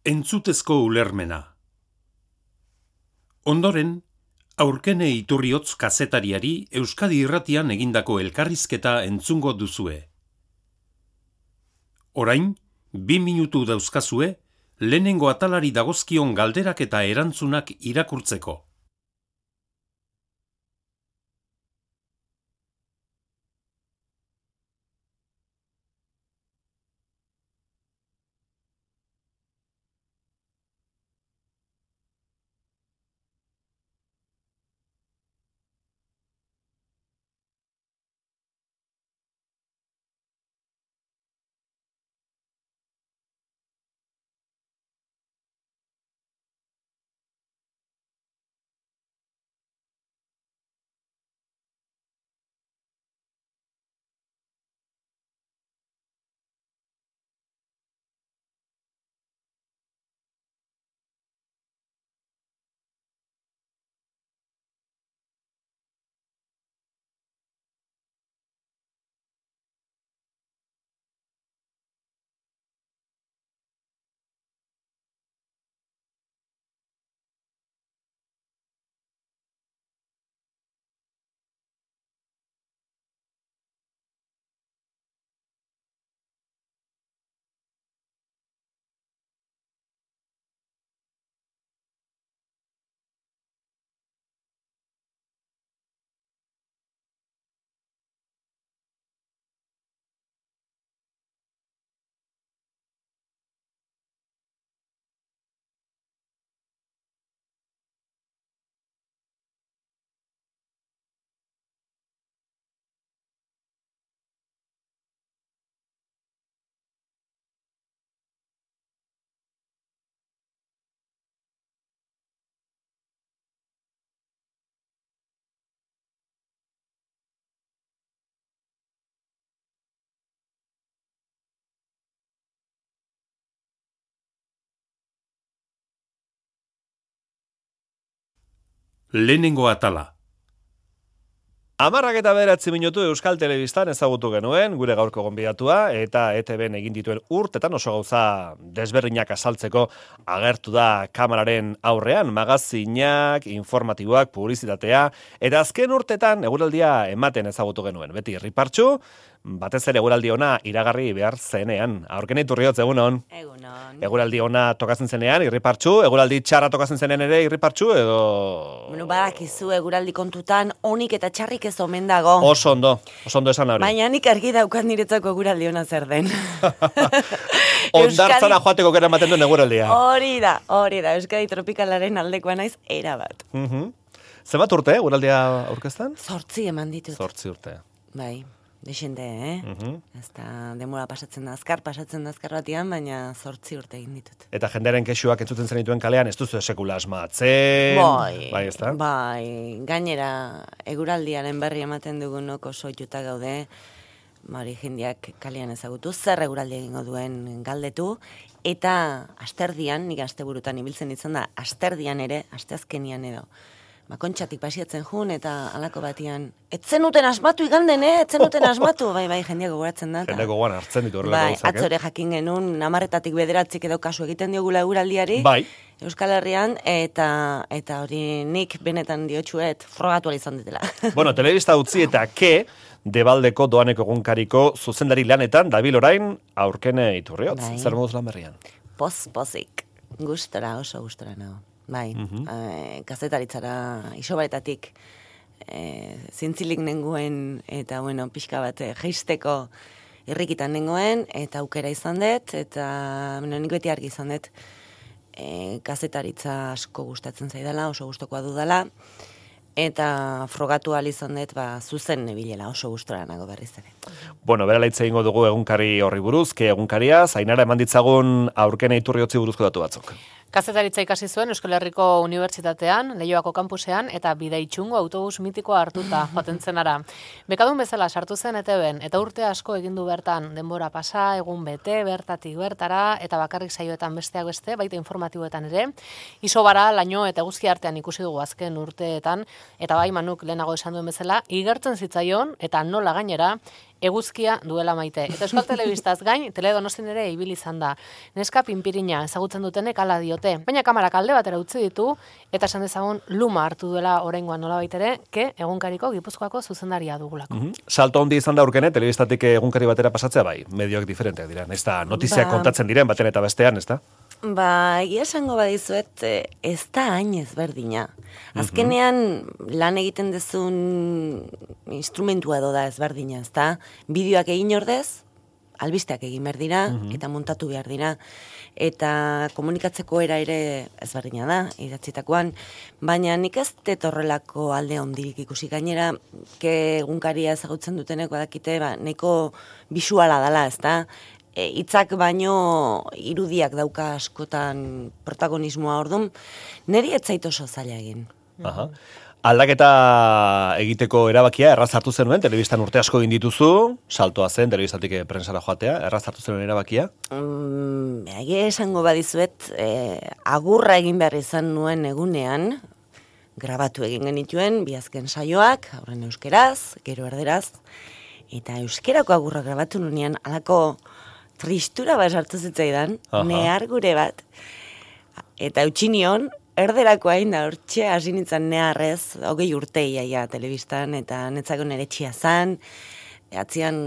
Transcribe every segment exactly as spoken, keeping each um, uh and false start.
Entzutezko ulermena. Ondoren, Aurkene Iturriotz kazetariari Euskadi Irratian egindako elkarrizketa entzungo duzue. Orain, bi minutu dauzkazue, lehenengo atalari dagozkion galderak eta erantzunak irakurtzeko. Lehenengo atala. Hamarrak eta bederatzi minutu Euskal Telebistan ezagutu genuen, gure gaurko gonbidatua, eta E T Bn egin dituen urtetan oso gauza desberdinak azaltzeko agertu da kameraren aurrean, magazinak, informatiboak, publizitatea, eta azken urtetan eguraldia ematen ezagutu genuen. Beti irripartsu, batez ere eguraldi ona iragarri behar zenean. Aurkene Iturriotz, egunon. Egunon. Eguraldi ona tokatzen zenean, irripartsu, eguraldi txarra tokatzen zenean ere irripartsu, edo... Bueno, badakizu eguraldi kontutan onik eta txarrik ez omen dago. Oso ondo, oso ondo esan hori. Baina nik argi daukat niretzako eguraldi ona zer den. Ondartzara joateko gara ematen duen eguraldia. Hori da, hori da, Euskadi tropikalaren aldekoa naiz erabat. Uh-huh. Zenbat urte, eguraldia aurkezten? Zortzi eman ditut. Zortzi urte. Bai. Dexente, eh? Uh-huh. Ez da, demora pasatzen da azkar, pasatzen da azkar batian, baina zortzi urte egin ditut. Eta jendearen kexuak entzuten zenituen kalean, ez duzu sekula asmatzen. Bai, bai, ez da? Bai, gainera, eguraldiaren berri ematen dugunok oso juta gaude, hori jendeak kalean ezagutu, zer eguraldi egingo duen galdetu, eta asterdian, nik asteburutan ibiltzen ditzen da, asterdian ere, asteazkenian edo, Makontxatik pasiatzen jun eta halako batian. Etzen uten asmatu iganden, eh? Etzen uten asmatu. Bai, bai, jendeak gogoratzen da. Jendeak gogoan hartzen ditu horrelako bai, gauzak, eh? atzore jakin genuen, namarretatik bederatzik edo kasu egiten diogula eguraldiari. Bai. Euskal Herrian, eta eta hori nik benetan diotxuet frogatu izan ditela. Bueno, telebista utzi eta ke, Debaldeko doaneko egunkariko zuzendari lanetan, dabil orain, Aurkene Iturriotz. Bai. Zer moduz lan berrian? Poz-pozik. Gustora, oso gustora nago. Bai, uh-huh. e, kazetaritzara isobaretatik e, zintzilik nengoen, eta bueno, pixka bat jeisteko irrikitan nengoen, eta aukera izan dut, eta bueno, nik beti argi izan dut, e, kazetaritza asko gustatzen zaidala, oso gustokoa dudala, eta frogatu ahal izan dut, ba, zuzen nebilela, oso gustora nago berriz ere. Bueno, bera laitze egingo dugu egunkari horri buruz, ke egunkaria, Zainara eman ditzagun Aurkene Iturriotzi buruzko datu batzuk. Kazetaritza ikasi zuen Euskal Herriko Unibertsitatean, Leioako kampusean, eta Bidaitxungo autobus mitikoa hartuta joaten zenara. Bekadun bezala sartu zen E T Bn, eta urte asko egindu bertan, denbora pasa, egun bete, bertatik bertara, eta bakarrik saioetan besteak beste, baita informatiboetan ere. Isobara, laino eta eguzki artean ikusi dugu azken urteetan, eta bai Manuk lehenago esan duen bezala, igertzen zitzaion, eta nola gainera, eguzkia duela maite. Eta Euskal Telebistaz gain, Teledonostin ere ibili izan da. Neska pinpirina ezagutzen dutenek hala diote. Baina kamarak alde batera utzi ditu, eta esan dezagun luma hartu duela oraingoan nolabait ere, ke egunkariko Gipuzkoako zuzendaria dugulako. Mm -hmm. Salto handi izan da urkene, telebistatik egunkari batera pasatzea bai, medioak diferenteak dira. Ez da, notiziak Ba- kontatzen diren baten eta bestean, ez da? Ba, egia esango badizuet, eh, ez da hain ezberdina. Azkenean, lan egiten dezun instrumentua edo da ezberdina, ez da? Bideoak egin ordez, albisteak egin behar dira, eta montatu behar dira. Eta komunikatzeko era ere ezberdina da, idatzitakoan. Baina nik ez dut horrelako alde ondirik ikusi gainera, ke egunkaria ezagutzen dutenek badakite, ba, nahiko bisuala dela, ez da? E, hitzak baino irudiak dauka askotan protagonismoa ordun, niri ez zait oso zaila egin. Aha. Aldaketa egiteko erabakia erraz hartu zenuen, telebistan urte asko egin dituzu, saltoa zen, telebistatik prensara joatea, erraz hartu zenuen erabakia? Mm, egia esango badizuet, eh, agurra egin behar izan nuen egunean, grabatu egin genituen, bi azken saioak, aurren euskeraz, gero erderaz, eta euskerako agurra grabatu nunean, alako tristura bat sartu zitzaidan, Aha. nehar gure bat, eta utxinion, erderako hain da, hortxe hasi nintzen neharrez, hogei urte iaia telebistan, eta netzako nere txia zan, atzian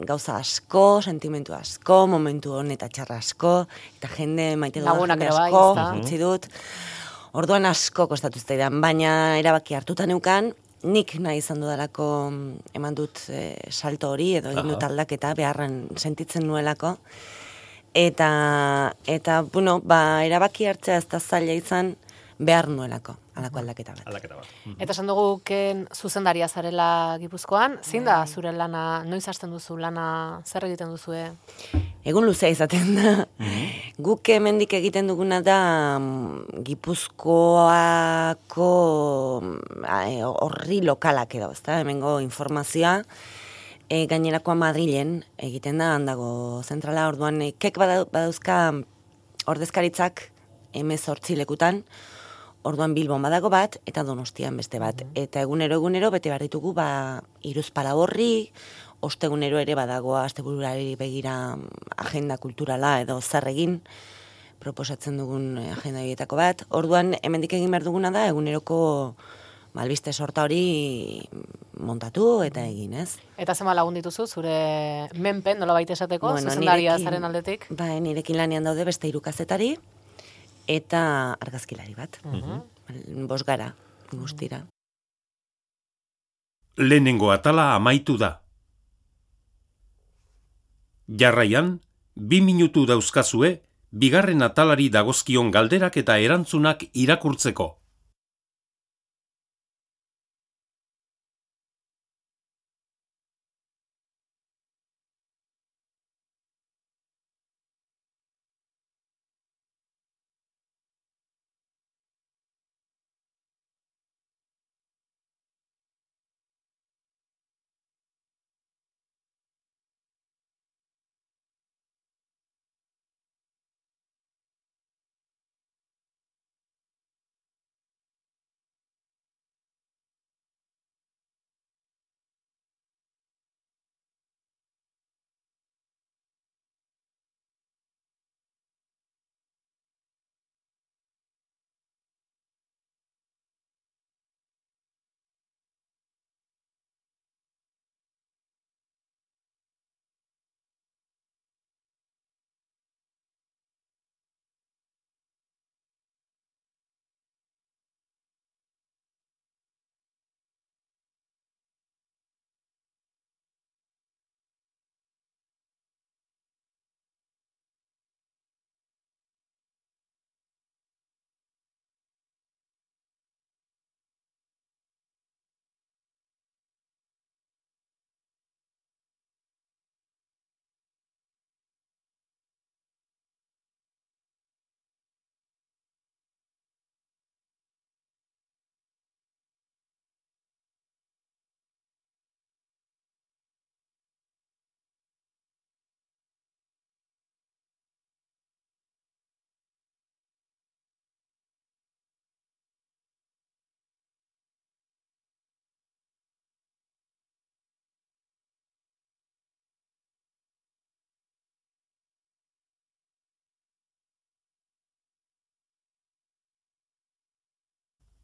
gauza asko, sentimentu asko, momentu hon eta txarra asko, eta jende maite dudan Lagunak jende ere bai, asko, ezta? utzi dut. Orduan asko kostatu zitzaidan, baina erabaki hartuta neukan, nik nahi izan dudalako eman dut eh, salto hori, edo egin dut aldaketa, beharren sentitzen nuelako. Eta, eta bueno, ba, erabaki hartzea ez da zaila izan, behar nuelako, alako aldaketa bat. Aldaketa bat. Eta esan dugu ken zuzendaria zarela Gipuzkoan, zein da zure lana, noiz hasten duzu lana, zer egiten duzue? Egun luzea izaten da. Guk hemendik egiten duguna da mm, Gipuzkoako mm, eh, horri lokalak edo, ezta? Hemengo informazioa, e, gainerakoa Madrilen egiten da, handago zentrala, orduan e, kek bada- badauzka ordezkaritzak hemezortzi lekutan, orduan Bilbon badago bat, eta Donostian beste bat. Eta egunero egunero bete behar ditugu, ba, iruzpala horri, ostegunero ere badago astebururari begira agenda kulturala edo zer egin, proposatzen dugun agenda horietako bat. Orduan, hemendik egin behar duguna da, eguneroko ba, albiste sorta hori montatu eta egin, ez? Eta zema lagun dituzu, zure menpen, nola baita esateko, Bueno, zuzendaria nirekin- zaren aldetik? Ba, nirekin lanean daude beste hiru kazetari eta argazkilari bat. Bost gara, guztira. Lehenengo atala amaitu da. Jarraian, bi minutu dauzkazue, bigarren atalari dagozkion galderak eta erantzunak irakurtzeko.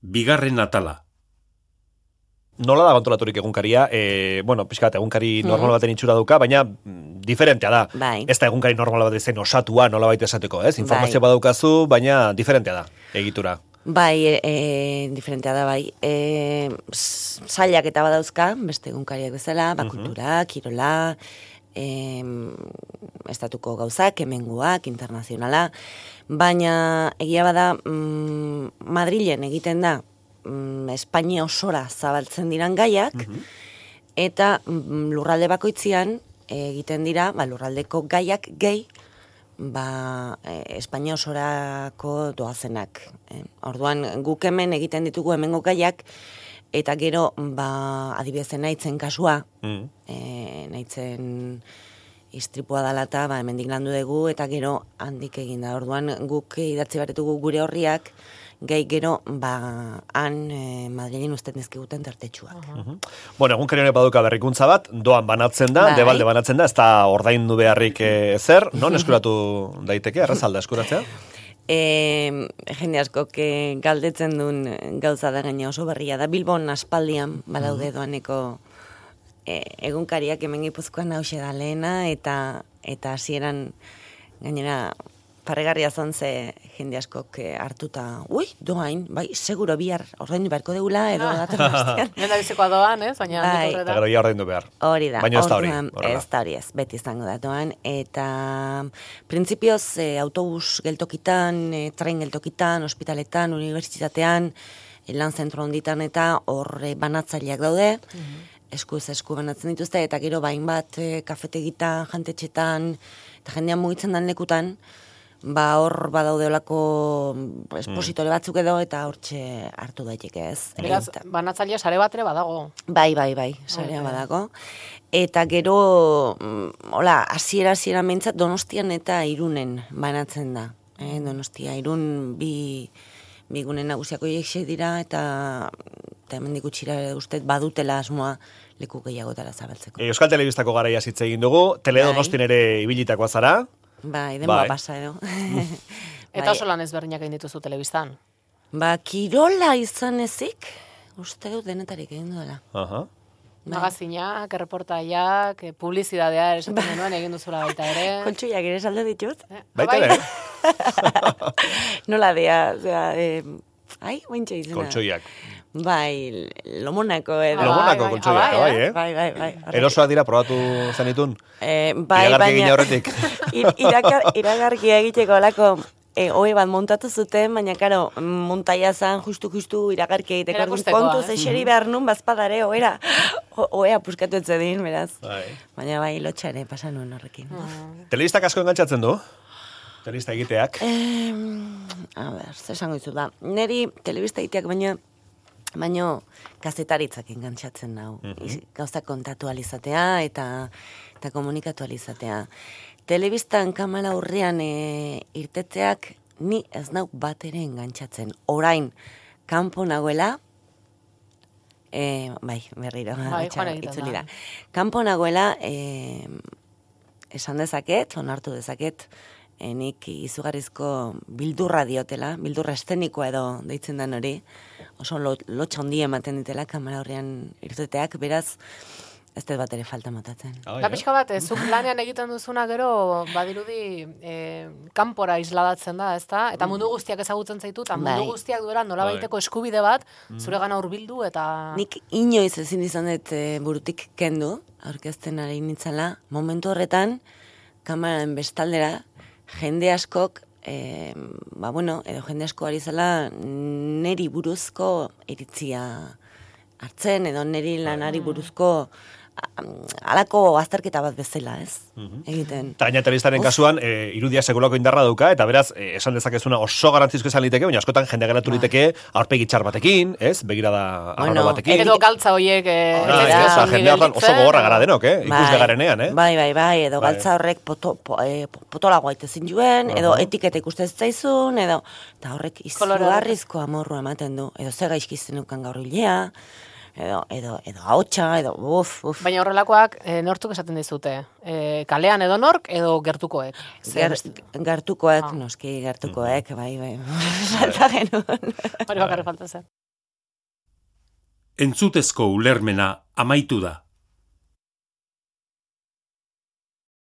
bigarren atala. Nola da kontrolaturik egunkaria? E, bueno, pixkat, egunkari normal baten itxura duka, baina mm, diferentea da. Bai. Ez da egunkari normal bat zen osatua, nola baita esateko, ez? Informazio Bai. badaukazu, baina diferentea da, egitura. Bai, e, e, diferentea da, bai. E, zailak eta badauzka, beste egunkariak bezala, bakultura, kirola, e, estatuko gauzak, hemenguak, internazionala, baina egia bada, mm, Madrilen egiten da, Espainia osora zabaltzen diran gaiak, eta mm, lurralde bakoitzian egiten dira, ba, lurraldeko gaiak gehi, ba, e, Espainia osorako doazenak. E, orduan, guk hemen egiten ditugu hemengo gaiak, eta gero, ba, adibidezen nahitzen kasua, mm. e, nahitzen istripua dalata, ba, hemendik landu dugu, eta gero handik egin da. Orduan, guk idatzi baretugu gure horriak, gai gero, ba, han e, Madrilen usten dizkiguten tartetxuak. Uh -huh. Bueno, egun honek baduka berrikuntza bat, doan banatzen da, Bai. debalde banatzen da, ez da ordaindu beharrik e, zer, non eskuratu daiteke, errazalda eskuratzea? E, jende asko que galdetzen duen gauza da gaina oso berria da. Bilbon aspaldian badaude doaneko e, egunkariak hemen Gipuzkoan hause da lehena, eta eta hasieran gainera parregarria zon ze jende askok hartuta, ui, doain, bai, seguro bihar ordaindu beharko deula, edo datorren astean. Nenda bizikoa doan, ez? Baina Bai. Eta gero ja ordaindu behar. Hori da. Baina ez da hori. Orduan, horrela. Ez da hori ez, beti izango da doan. Eta printzipioz e, autobus geltokitan, e, tren geltokitan, ospitaletan, unibertsitatean, e, lan zentro honditan eta hor e, banatzaileak daude, eskuz esku banatzen dituzte, eta gero bain bat e, kafetegitan, jantetxetan, eta jendean mugitzen dan lekutan, ba hor badaude olako espositore batzuk edo, eta hortxe hartu daiteke ez. Beraz, Eta- banatzailea sare bat ere badago. Bai, bai, bai, sarea Ok. badago. Eta gero, mm, hola, hasiera hasiera mentzat Donostian eta Irunen banatzen da. Eh? Donostia, Irun bi, bi gune nagusiako horiek dira, eta, eta hemendik gutxira uste badutela asmoa leku gehiagotara zabaltzeko. E, Euskal Telebistako garaia hitz egin dugu, Teledonostin ere ibilitakoa zara, Bai, denboa Bai. pasa edo. Eta oso lan ezberdinak egin dituzu telebistan. Ba, kirola izan ezik, uste dut denetarik egin duela. Aha. Bai. Magazinak, erreportaiak, eh, publizidadea esaten genuen egin duzula baita ere. Kontxuiak ere salde ditut. Eh, Baita bai. ere, Nola dea, osea, eh, ai, ointxe izena. kontxoiak. Bai, lomonako edo. Ah, Lomonako bai, kontxoiak, bai, bai, eh? Bai, bai, bai. Erosoak dira probatu zenitun? Eh, bai, Iragarki egin baina... aurretik. Ir- irakar, iragarkia egiteko alako e, ohe bat montatu zuten, baina karo, montaia zan justu-justu iragarkia egiteko. Orduan, Erakustekoa, kontuz eh? eseri behar nun bazpadare, ohera, o- ohea puskatu etzedin, beraz. Bai. Baina bai, lotxa ere pasan nuen horrekin. Telebistak asko engantzatzen du? Telebista egiteak? Eh, a ber, zer esango dizu da. Neri telebista egiteak baina baino kazetaritzak engantzatzen nau. Iz- Gauzak kontatu alizatea eta eta komunikatu alizatea. Telebistan kamera aurrean e, irtetzeak ni ez nau bat ere engantzatzen. Orain, kanpo nagoela, e, bai, berriro, Bai, atxa, joan egiten itzuli da. da. Kanpo nagoela, e, esan dezaket, onartu dezaket, e, nik izugarrizko bildurra diotela, bildurra estenikoa edo deitzen den hori, oso lo, lotxa hondi ematen ditela kamera horrean irteteak, beraz, ez dut bat ere falta matatzen. Ah, Da ja. pixka bat, eh, zuk lanean egiten duzuna gero, badirudi, eh, kanpora isladatzen da, ezta? Eta mundu guztiak ezagutzen zaitu, eta mundu Bai. guztiak duela nolabaiteko eskubide bat, zuregana hurbildu eta... Nik inoiz ezin izan dut e, burutik kendu, aurkezten ari nintzala, momentu horretan, kameraren bestaldera, jende askok, e, ba bueno, edo jende asko ari zela neri buruzko iritzia hartzen, edo neri lanari buruzko a- halako azterketa bat bezala, ez? Egiten. Eta gaina telebistaren kasuan, e, irudia sekulako indarra dauka, eta beraz, e, esan dezakezuna oso garantzizko esan liteke, baina askotan jende geratu liteke aurpegi txar batekin, ez? Begirada arraro Bueno, batekin. Edo galtza horiek... Eh, Ah, ez ez, zaizkizu oza, ongi jende hortan oso gelditzen, gogorra edo- gara denok, eh? Ikusle garenean, eh? Bai, bai, bai, edo Bai. galtza horrek poto, po, e, potolagoa itezin juen, edo Aha. etiketa ikusten zaizun, edo, eta horrek Kolore izugarrizko amorru ematen du, edo ze gaizkizten ukan gaur hilea, edo, edo, edo ahotsa, edo, uf, uf. Baina horrelakoak eh, nortzuk esaten dizute? Eh, kalean edo nork, edo gertukoek? Ger, gertukoek, noski gertukoek, bai, bai, falta genuen. Hori bakarrik falta zen. Entzutezko ulermena amaitu da.